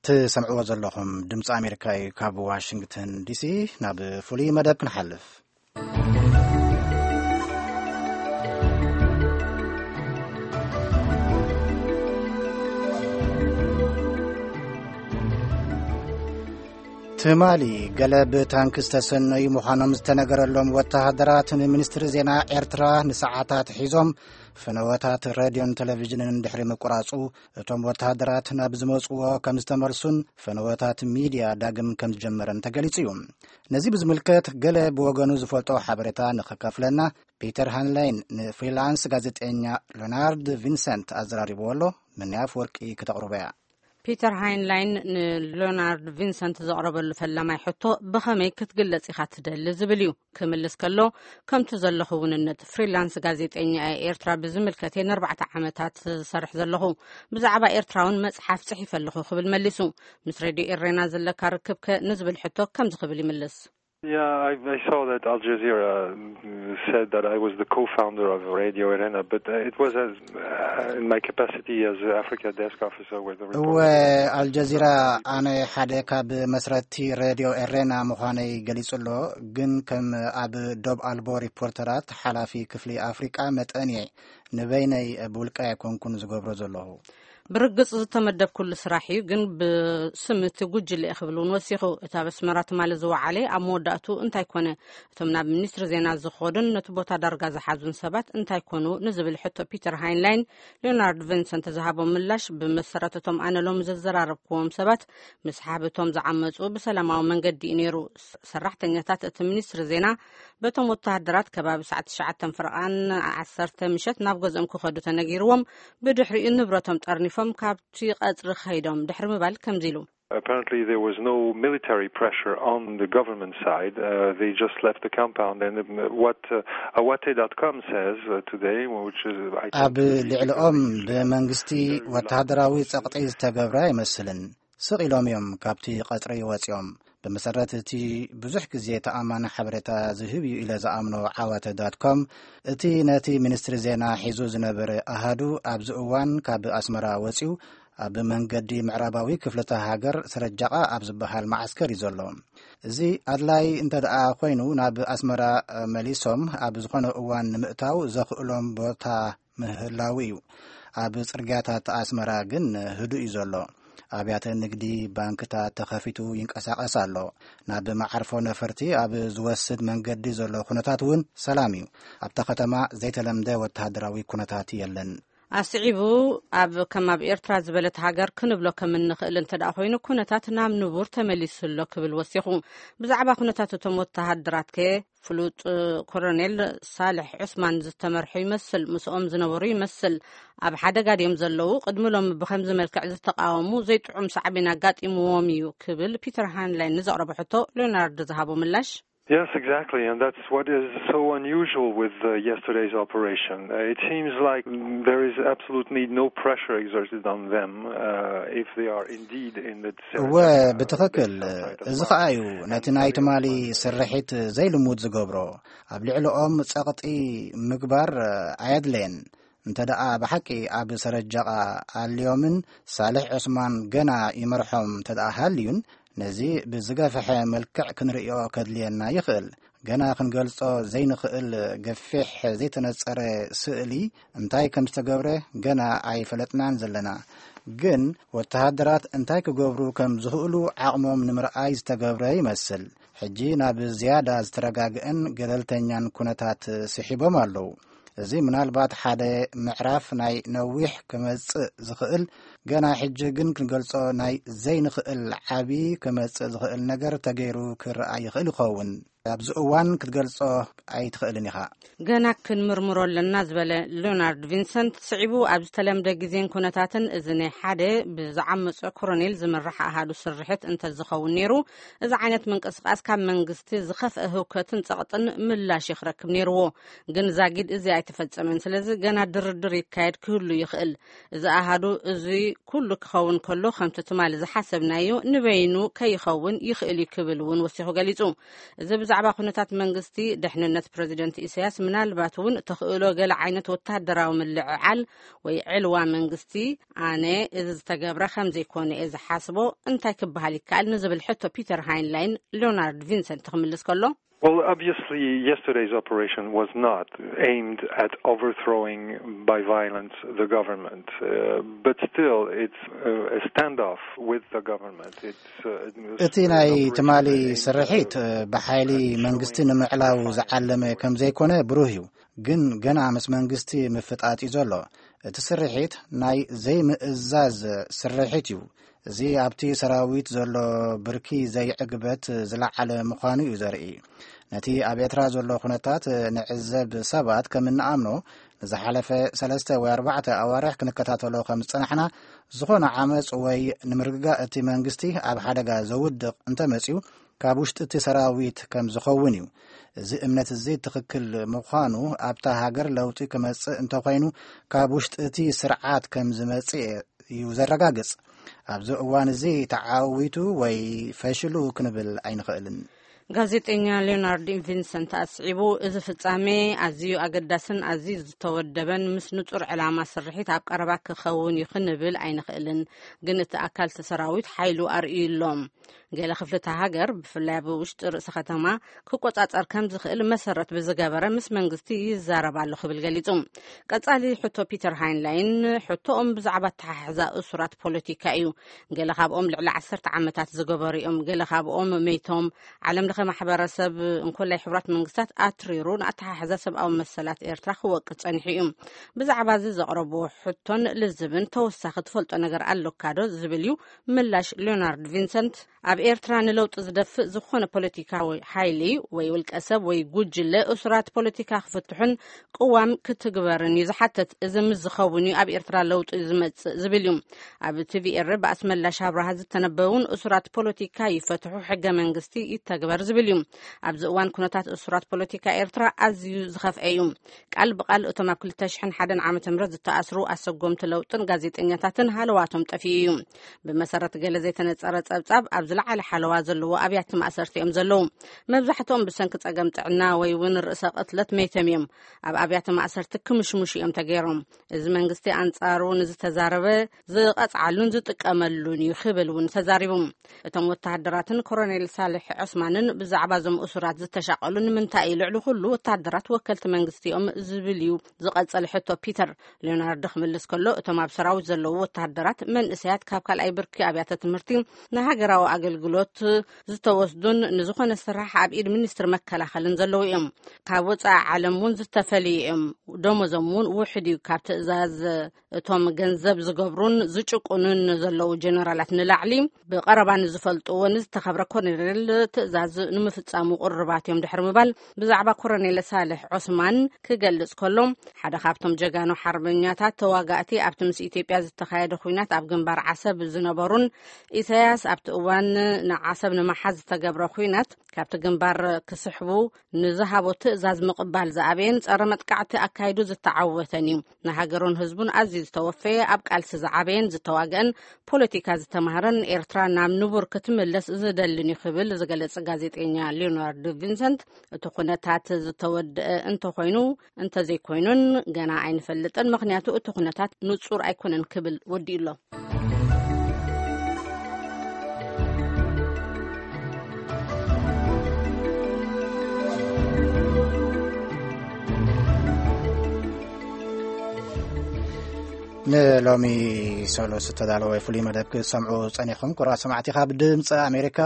ትሰምዕዎ ዘለኹም ድምፂ ኣሜሪካ እዩ። ካብ ዋሽንግተን ዲሲ ናብ ፍሉይ መደብ ክንሓልፍ። ትማሊ ገለ ብታንክ ዝተሰነዩ ምዃኖም ዝተነገረሎም ወተሃደራት ንሚኒስትሪ ዜና ኤርትራ ንሰዓታት ሒዞም ፈነወታት ሬድዮን ቴሌቪዥንን ድሕሪ ምቁራጹ፣ እቶም ወተሃደራት ናብ ዝመጽዎ ከም ዝተመልሱን ፈነወታት ሚድያ ዳግም ከም ዝጀመረን ተገሊጹ እዩ። ነዚ ብዝምልከት ገለ ብወገኑ ዝፈልጦ ሓበሬታ ንኸካፍለና ፒተር ሃንላይን ንፍሪላንስ ጋዜጠኛ ሎናርድ ቪንሰንት ኣዘራሪብዎ ኣሎ። ምንያ ኣፍወርቂ ክተቕርቦ እያ። ፒተር ሃይንላይን ንሎናርድ ቪንሰንት ዘቕረበሉ ፈላማይ ሕቶ፣ ብኸመይ ክትግለጽ ኢኻ ትደሊ ዝብል እዩ። ክምልስ ከሎ፣ ከምቲ ዘለኹ ውንነት ፍሪላንስ ጋዜጠኛ እየ፣ ኤርትራ ብዝምልከት እየ ንኣርባዕተ ዓመታት ዝሰርሕ ዘለኹ። ብዛዕባ ኤርትራ እውን መጽሓፍ ጽሒፈ ኣለኹ ክብል መሊሱ። ምስ ሬድዮ ኤሬና ዘለካ ርክብ ከ ንዝብል ሕቶ ከምዚ ክብል ይምልስ። Yeah, I, I saw that Al Jazeera, uh, said that I was the co-founder of Radio Erena, but, uh, it was as, uh, in my capacity as Africa Desk Officer with the እወ፣ report. ኣልጀዚራ ኣነ ሓደ ካብ መስረቲ ሬድዮ ኤሬና ምዃነይ ገሊጹ ኣሎ። ግን ከም ኣብ ዶብ ኣልቦ ሪፖርተራት ሓላፊ ክፍሊ ኣፍሪቃ መጠን እየ ንበይነይ ብውልቀ ኣይኮንኩን ዝገብሮ ዘለኹ። ብርግጽ ዝተመደብኩሉ ስራሕ እዩ፣ ግን ብስም እቲ ጉጅለ እየ ክብል እውን ወሲኹ። እቲ ኣብ ኣስመራ ትማሊ ዝወዓለ ኣብ መወዳእቱ እንታይ ኮነ? እቶም ናብ ሚኒስትሪ ዜና ዝኸዱን ነቲ ቦታ ዳርጋ ዝሓዙን ሰባት እንታይ ኮኑ? ንዝብል ሕቶ ፒተር ሃይንላይን ሊዮናርድ ቪንሰንት ዝሃቦ ምላሽ፣ ብመሰረት እቶም ኣነ ሎሚ ዘዘራረብክዎም ሰባት፣ ምስ ሓብቶም ዝዓመጹ ብሰላማዊ መንገዲ እዩ ነይሩ። ሰራሕተኛታት እቲ ሚኒስትሪ ዜና በቶም ወተሃደራት ከባቢ ሰዓት ትሽዓተ ፍርቓን ዓሰርተ ምሸት ናብ ገዝኦም ክኸዱ ተነጊርዎም፣ ብድሕሪኡ ንብረቶም ጠርኒፎም ካብቲ ቀጽሪ ከይዶም ድሕሪ ምባል ከምዚ ኢሉ። Apparently, there was no military pressure on the government side. Uh, they just left the compound. And, um, what, uh, Awate dot com says, uh, today, which is, I think, ኣብ is the ልዕሊኦም ብመንግስቲ ወተሃደራዊ ጸቕጢ ዝተገብረ ኣይመስልን። ስቕ ኢሎም እዮም ካብቲ ቀጽሪ ወጺኦም። ብመሰረት እቲ ብዙሕ ግዜ ተኣማኒ ሓበሬታ ዝህብ እዩ ኢለ ዝኣምኖ ዓዋተ ዳት ኮም፣ እቲ ነቲ ሚኒስትሪ ዜና ሒዙ ዝነበረ ኣሃዱ ኣብዚ እዋን ካብ ኣስመራ ወጺኡ ኣብ መንገዲ ምዕራባዊ ክፍልተ ሃገር ስረጃቓ ኣብ ዝበሃል መዓስከር እዩ ዘሎ። እዚ ኣድላይ እንተ ደኣ ኮይኑ ናብ ኣስመራ መሊሶም ኣብ ዝኾነ እዋን ንምእታው ዘኽእሎም ቦታ ምህላው እዩ። ኣብ ጽርግያታት ኣስመራ ግን ህዱእ እዩ ዘሎ። ኣብያተ ንግዲ፣ ባንክታት ተኸፊቱ ይንቀሳቐስ ኣሎ። ናብ መዓርፎ ነፈርቲ ኣብ ዝወስድ መንገዲ ዘሎ ኩነታት እውን ሰላም እዩ። ኣብታ ከተማ ዘይተለምደ ወተሃደራዊ ኩነታት የለን። ኣስዒቡ፣ ኣብ ከም ኣብ ኤርትራ ዝበለት ሃገር ክንብሎ ከም እንኽእል እንተ ደኣ ኮይኑ፣ ኩነታት ናብ ንቡር ተመሊሱ ኣሎ ክብል ወሲኹ። ብዛዕባ ኩነታት እቶም ወተሃደራት ከ ፍሉጥ ኮሎኔል ሳልሕ ዑስማን ዝተመርሑ ይመስል፣ ምስኦም ዝነበሩ ይመስል። ኣብ ሓደጋ ድዮም ዘለዉ? ቅድሚ ሎሚ ብኸምዚ መልክዕ ዝተቃወሙ ዘይጥዑም ሳዕቤን ኣጋጢምዎም እዩ ክብል ፒተር ሃንላይን ንዘቕረቦ ሕቶ ሊዮናርዶ ዝሃቦ ምላሽ። Yes, exactly, and that's what is so unusual with, uh, yesterday's operation. Uh, it seems like there is absolutely no pressure exerted on them, uh, if they are indeed in the እወ፣ ብትኽክል። እዚ ኸኣ እዩ ነቲ ናይ ትማሊ ስርሒት ዘይልሙድ ዝገብሮ። ኣብ ልዕሊኦም ጸቕጢ ምግባር ኣየድለየን። እንተ ደኣ ብሓቂ ኣብ ሰረጃቓ ኣልዮምን ሳልሕ ዑስማን ገና ይመርሖም እንተ ደኣ ሃልዩን፣ ነዚ ብዝገፍሐ መልክዕ ክንርእዮ ከድልየና ይኽእል። ገና ክንገልጾ ዘይንኽእል ገፊሕ ዘይተነጸረ ስእሊ እንታይ ከም ዝተገብረ ገና ኣይፈለጥናን ዘለና። ግን ወተሃደራት እንታይ ክገብሩ ከም ዝኽእሉ ዓቕሞም ንምርኣይ ዝተገብረ ይመስል። ሕጂ ናብ ዝያዳ ዝተረጋግአን ገለልተኛን ኩነታት ስሒቦም ኣለዉ። እዚ ምናልባት ሓደ ምዕራፍ ናይ ነዊሕ ክመጽእ ዝኽእል፣ ገና ሕጂ ግን ክንገልጾ ናይ ዘይንኽእል ዓቢ ክመጽእ ዝኽእል ነገር ተገይሩ ክረኣ ይኽእል ይኸውን። ኣብዚ እዋን ክትገልጾ ኣይትኽእልን ኢኻ። ገና ክንምርምሮ ኣለና ዝበለ ሊዮናርድ ቪንሰንት፣ ስዒቡ ኣብ ዝተለምደ ግዜን ኩነታትን እዚ ናይ ሓደ ብዝዓመጸ ኮሎኔል ዝምራሕ ኣሃዱ ስርሒት እንተዝኸውን ነይሩ፣ እዚ ዓይነት ምንቅስቃስ ካብ መንግስቲ ዝኸፍአ ህውከትን ጸቕጥን ምላሽ እዩ ክረክብ ነይርዎ። ግን ዛጊድ እዚ ኣይተፈጸመን። ስለዚ ገና ድርድር ይካየድ ክህሉ ይኽእል። እዚ ኣሃዱ እዚ ኩሉ ክኸውን ከሎ፣ ከምቲ ትማሊ ዝሓሰብናዮ ንበይኑ ከይኸውን ይኽእል እዩ ክብል እውን ወሲኹ ገሊጹ። እዚ ብዛዕባ ኩነታት መንግስቲ፣ ድሕንነት ፕረዚደንት ኢሳያስ፣ ምናልባት እውን ተኽእሎ ገለ ዓይነት ወታደራዊ ምልዕዓል ወይ ዕልዋ መንግስቲ፣ ኣነ እዚ ዝተገብረ ከም ዘይኮነ እየ ዝሓስቦ፣ እንታይ ክበሃል ይከኣል ንዝብል ሕቶ ፒተር ሃይንላይን ሊዮናርድ ቪንሰንት ክምልስ ከሎ፣ Well, obviously, yesterday's operation was not aimed at overthrowing by violence the government, uh, but still, it's uh, a standoff with the government. It's uh, an- እቲ ናይ ትማሊ ስርሒት፣ እ፣ ብሓይሊ መንግስቲ ንምዕላው ዝዓለመ ከም ዘይኮነ ብሩህ እዩ። ግን ገና ምስ መንግስቲ ምፍጣጥ እዩ ዘሎ። እቲ ስርሒት ናይ ዘይምእዛዝ ስርሒት እዩ። እዚ ኣብቲ ሰራዊት ዘሎ ብርኪ ዘይዕግበት ዝለዓለ ምዃኑ እዩ ዘርኢ። ነቲ ኣብ ኤርትራ ዘሎ ኩነታት ንዕዘብ ሰባት ከም እንኣምኖ፣ ንዝሓለፈ ሰለስተ ወይ ኣርባዕተ ኣዋርሕ ክንከታተሎ ከም ዝጸናሕና፣ ዝኾነ ዓመጽ ወይ ንምርግጋእ እቲ መንግስቲ ኣብ ሓደጋ ዘውድቕ እንተመጺኡ፣ ካብ ውሽጢ እቲ ሰራዊት ከም ዝኸውን እዩ። እዚ እምነት እዚ ትኽክል ምዃኑ፣ ኣብታ ሃገር ለውጢ ክመጽእ እንተኾይኑ፣ ካብ ውሽጢ እቲ ስርዓት ከም ዝመጽእ እዩ ዘረጋግጽ። ኣብዚ እዋን እዚ ተዓዊቱ ወይ ፈሽሉ ክንብል ኣይንኽእልን። ጋዜጠኛ ሊዮናርድ ቪንሰንት ኣስዒቡ፣ እዚ ፍጻሜ ኣዝዩ ኣገዳስን ኣዝዩ ዝተወደበን ምስ ንጹር ዕላማ ስርሒት ኣብ ቀረባ ክኸውን እዩ ክንብል ኣይንኽእልን። ግን እቲ ኣካል እቲ ሰራዊት ሓይሉ ኣርእዩ ኣሎ። ገለ ክፍልታት ሃገር፣ ብፍላይ ኣብ ውሽጢ ርእሲ ከተማ፣ ክቆጻጸር ከም ዝኽእል መሰረት ብዝገበረ ምስ መንግስቲ ይዛረብ ኣሎ ክብል ገሊጹ። ቀጻሊ ሕቶ ፒተር ሃይንላይን፣ ሕቶኦም ብዛዕባ ኣተሓሕዛ እሱራት ፖለቲካ እዩ። ገለ ካብኦም ልዕሊ ዓሰርተ ዓመታት ዝገበሩ እዮም። ገለ ካብኦም መይቶም። ዓለም ለኸ ማሕበረሰብ፣ እንኮላይ ሕቡራት መንግስታት፣ ኣትሪሩ ንኣተሓሕዛ ሰብኣዊ መሰላት ኤርትራ ክወቅስ ጸኒሑ እዩ። ብዛዕባ እዚ ዘቕረብዎ ሕቶን ልዝብን ተወሳኺ ትፈልጦ ነገር ኣለካ ዶ ዝብል እዩ ምላሽ ሊዮናርድ ቪንሰንት። ኣብ ኤርትራ ንለውጢ ዝደፍእ ዝኾነ ፖለቲካዊ ሓይሊ ወይ ውልቀ ሰብ ወይ ጉጅለ እሱራት ፖለቲካ ክፍትሑን ቅዋም ክትግበርን እዩ ዝሓትት። እዚ ምስ ዝኸውን እዩ ኣብ ኤርትራ ለውጢ ዝመጽእ ዝብል እዩ። ኣብ ቲቪኤር ብኣስመላሽ ኣብርሃ ዝተነበውን እሱራት ፖለቲካ ይፈትሑ፣ ሕገ መንግስቲ ይተግበር ዝብል እዩ። ኣብዚ እዋን ኩነታት እሱራት ፖለቲካ ኤርትራ ኣዝዩ ዝኸፍአ እዩ። ቃል ብቃል እቶም ኣብ ክልተ ሽሕን ሓደን ዓመተ ምህረት ዝተኣስሩ ኣሰጎምቲ ለውጥን ጋዜጠኛታትን ሃለዋቶም ጠፊኡ እዩ። ብመሰረት ገለ ዘይተነጸረ ጸብጻብ፣ ኣብ ዝለዓለ ሓለዋ ዘለዎ ኣብያተ ማእሰርቲ እዮም ዘለዉ። መብዛሕትኦም ብሰንኪ ጸገም ጥዕና ወይ እውን ርእሰ ቅትለት መይቶም እዮም። ኣብ ኣብያተ ማእሰርቲ ክምሽሙሽ እዮም ተገይሮም። እዚ መንግስቲ ኣንጻሩ ንዝተዛረበ ዝቐጽዓሉን ዝጥቀመሉን እዩ ክብል እውን ተዛሪቡ። እቶም ወተሃደራትን ኮሎኔል ሳልሕ ዑስማንን ብዛዕባ እዞም እሱራት ዝተሻቐሉ ንምንታይ እዩ ልዕሊ ኩሉ ወተሃደራት ወከልቲ መንግስቲ እዮም ዝብል እዩ ዝቐጸለ ሕቶ ፒተር። ሊዮናርዶ ክምልስ ከሎ፣ እቶም ኣብ ሰራዊት ዘለዉ ወተሃደራት መንእሰያት፣ ካብ ካልኣይ ብርኪ ኣብያተ ትምህርቲ ንሃገራዊ ኣገልግሎት ዝተወስዱን ንዝኾነ ስራሕ ኣብ ኢድ ሚኒስትሪ መከላኸልን ዘለዉ እዮም። ካብ ወጻኢ ዓለም እውን ዝተፈልዩ እዮም። ደሞዞም እውን ውሕድ እዩ። ካብ ትእዛዝ እቶም ገንዘብ ዝገብሩን ዝጭቁኑን ዘለዉ ጀነራላት ንላዕሊ፣ ብቐረባ ንዝፈልጥዎ ንዝተኸብረ ኮሎኔል ትእዛዝ ንምፍጻሙ ቅሩባት እዮም ድሕሪ ምባል፣ ብዛዕባ ኮሎኔል ሳልሕ ዑስማን ክገልጽ ከሎ፣ ሓደ ካብቶም ጀጋኑ ሓርበኛታት ተዋጋእቲ፣ ኣብቲ ምስ ኢትዮጵያ ዝተኻየደ ኲናት ኣብ ግንባር ዓሰብ ዝነበሩን፣ ኢሳያስ ኣብቲ እዋን ንዓሰብ ንምሓዝ ዝተገብረ ኲናት ካብቲ ግንባር ክስሕቡ ንዝሃቦ ትእዛዝ ምቕባል ዝኣበየን ጸረ መጥቃዕቲ ኣካይዱ ዝተዓወተን እዩ። ንሃገሩን ህዝቡን ኣዝዩ ዝተወፈየ፣ ኣብ ቃልሲ ዝዓበየን ዝተዋግአን፣ ፖለቲካ ዝተማህረን፣ ኤርትራ ናብ ንቡር ክትምለስ ዝደልን እዩ ክብል ዝገለጸ ጋዜጠኛ ሊዮናርዶ ቪንሰንት፣ እቲ ኩነታት ዝተወደአ እንተኾይኑ እንተዘይኮይኑን ገና ኣይንፈልጥን፣ ምኽንያቱ እቲ ኩነታት ንጹር ኣይኮነን ክብል ወዲኡ ኣሎ። ንሎሚ ሰሉስ ዝተዳለወ ፍሉይ መደብ ክትሰምዑ ጸኒኹም። ክቡራት ሰማዕቲ፣ ካብ ድምፂ ኣሜሪካ